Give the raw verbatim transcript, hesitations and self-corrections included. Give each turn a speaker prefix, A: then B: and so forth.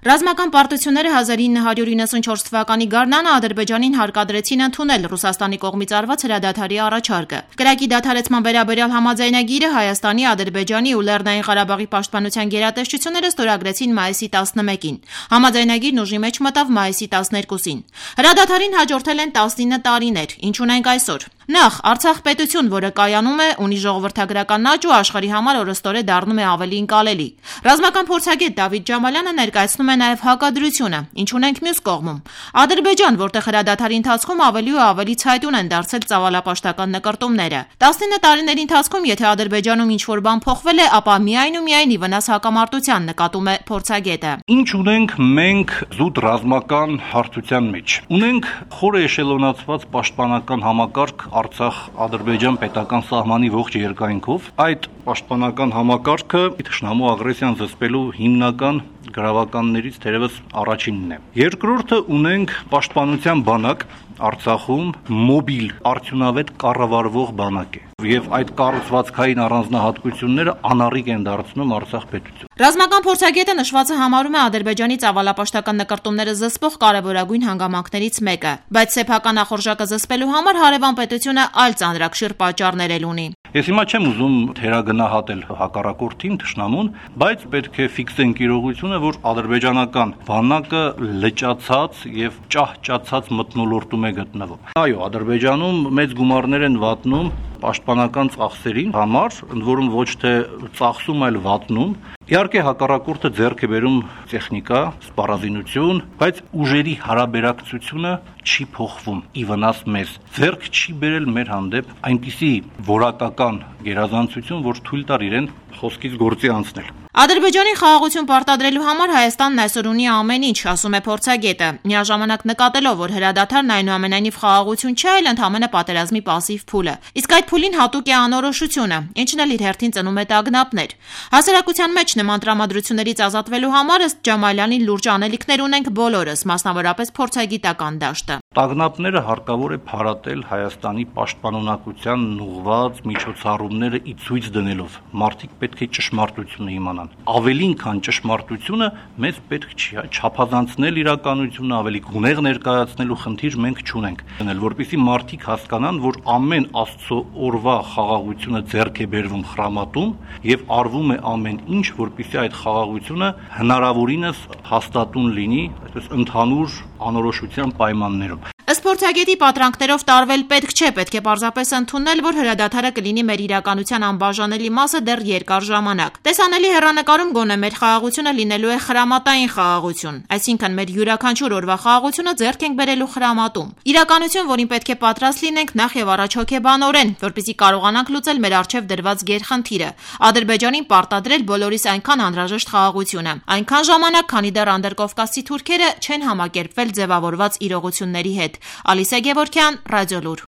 A: Ռազմական պարտությունները հազար ինը հարյուր իննսունչորս թվականի գարնանը Ադրբեջանին հարկադրեցին ընդունել Ռուսաստանի կողմից արված հրադադարի առաջարկը։ Կրակի դադարեցման վերաբերյալ համաձայնագիրը Հայաստանի, Ադրբեջանի ու Լեռնային Ղարաբաղի պաշտպանության գերատեսչությունները ստորագրեցին մայիսի տասնմեկին։ Համաձայնագիրն ուժի մեջ մտավ մայիսի տասներկուսին։ Հրադադարին հաջորդել են տասնինը տարիներ, ինչ ունենք այսօր։ Նախ Արցախ պետություն, որը կայանում է, ունի ժողովրդագրական աճ ու աշխարհի համար օրըստօրե դառնում է ավելի ընկալելի։ Ռազմական փորձագետ Դավիթ Ջամալյանը ներկայացնում է նաև հակադրությունը, ինչ ունենք մյուս կողմում։ Ադրբեջան, որտեղ հրադադարի ընթացքում ավելի ու ավելի ցայտուն են դարձել ծավալապաշտական նկրտումները։ տասնինը տարիների ընթացքում, եթե Ադրբեջանում ինչ-որ բան փոխվել է, ապա միայն ու միայն ի վնաս հակամարտության, նկատում է փորձագետը։
B: Ինչ ունենք մենք զուտ ռազմական հարթության մեջ։ Ունենք խորը էշելոնացված պաշտպանական համակարգ Արցախ-Ադրբեջան պետական սահմանի ողջ երկայնքով։ Այդ պաշտպանական համակարգը թշնամու ագրեսիան զսպելու հիմնական գրավականներից թերևս առաջինն է։ Երկրորդը ունենք պաշտպանության բանակ Արցախում մոբիլ արդյունավետ կառավարվող բանակ է, եւ այդ կառուցվածքային առանձնահատկությունները անառիկ են դարձնում Արցախ պետություն։
A: Ռազմական փորձագետը նշվածը համարում է Ադրբեջանի ծավալապաշտական նկրտումները զսպող կարևորագույն հանգամանքներից մեկը, բայց սեփական ախորժակը զսպելու համար հարևան պետությունը այլ ծանրակշիռ պատճառներ էլ ունի։
B: Ես հիմա չեմ ուզում թերագնահատել հակառակորդին, թշնամուն, բայց պետք է ֆիքսենք իրողությունը, որ ադրբեջանական բանակը լճացած եւ ճահճացած մթնոլորտում է գտնվում։ Այո, Ադրբեջանում մեծ գումարներ են վատնում պաշտպանական ծախսերին համար, ընդ որում ոչ թե ծախսում, այլ վատնում։ Իհարկե հակառակորդը ձեռք է բերում տեխնիկա, սպառազինություն, բայց ուժերի հարաբերակցությունը չի փոխվում ի վնաս մեզ։ Ձեռք չի բերել մեր հանդեպ այնպիսի որակական գերազանցություն, որ թույլ տար իրեն խոսքից գործի անցնել։
A: Ադրբեջանի խաղաղություն պարտադրելու համար Հայաստանն այսօր ունի ամեն ինչ, ասում է փորձագետը, միաժամանակ նկատելով, որ հրադադարն այնուամենայնիվ խաղաղություն չէ, այլ ընդհանրապես պատերազմի պասիվ փուլ է։ Իսկ այդ փուլին հատուկ է անորոշությունը, ինչն էլ իր հերթին ծնում է տագնապներ։ Հասարակության մեջ նման տրամադրություններից ազատվելու համար ըստ Ջամալյանի լուրջ անելիքներ ունենք բոլորս, մասնավորապես փորձագիտական դաշտը։
B: Տագնապները հարկավոր է փարատել Հայաստանի պաշտպանունակության ուղղված միջոցառումները ի ցույց դնելով։ Մարդիկ պետք է ճշմարտությունը իմանան։ Ավելին քան ճշմարտությունը մեզ պետք չի չափազանցնել իրականությունը, ավելի գունեղ ներկայացնելու խնդիր մենք չունենք։ Դնել, որպեսզի մարդիկ հասկանան, որ ամեն Աստծո օրվա խաղաղությունը ձեռք է բերվում խրամատում եւ արվում է ամեն ինչ, որպեսզի այդ խաղաղությունը հնարավորինս հաստատուն լինի, այսպես ընդհանուր անորոշության պայմաններում։
A: Ըստ փորձագետի պատրանքներով տարվել պետք չէ, պետք է պարզապես ընդունել, որ հրադադարը կլինի մեր իրականության անբաժանելի մասը դեռ երկար ժամանակ։ Տեսանելի հեռանկարում գոնե մեր խաղաղությունը լինելու է խրամատային խաղաղություն, այսինքն մեր յուրաքանչյուր օրվա խաղաղությունը ձեռք ենք բերելու խրամատում։ Իրականություն, որին պետք է պատրաստ լինենք նախ եւ առաջ հոգեբանորեն, որպեսզի կարողանանք լուծել մեր առջև դրված գերխնդիրը՝ Ադրբեջանին պարտադրել բոլորիս այնքան անհրաժեշտ խաղաղությունը, այնքան ժամանակ, քանի դեռ անդրկովկասցի թուրքերը չեն համակերպվել ձևավորված իրողությունների հետ։ Ալիսա Գևորգյան, Ռադիոլուր։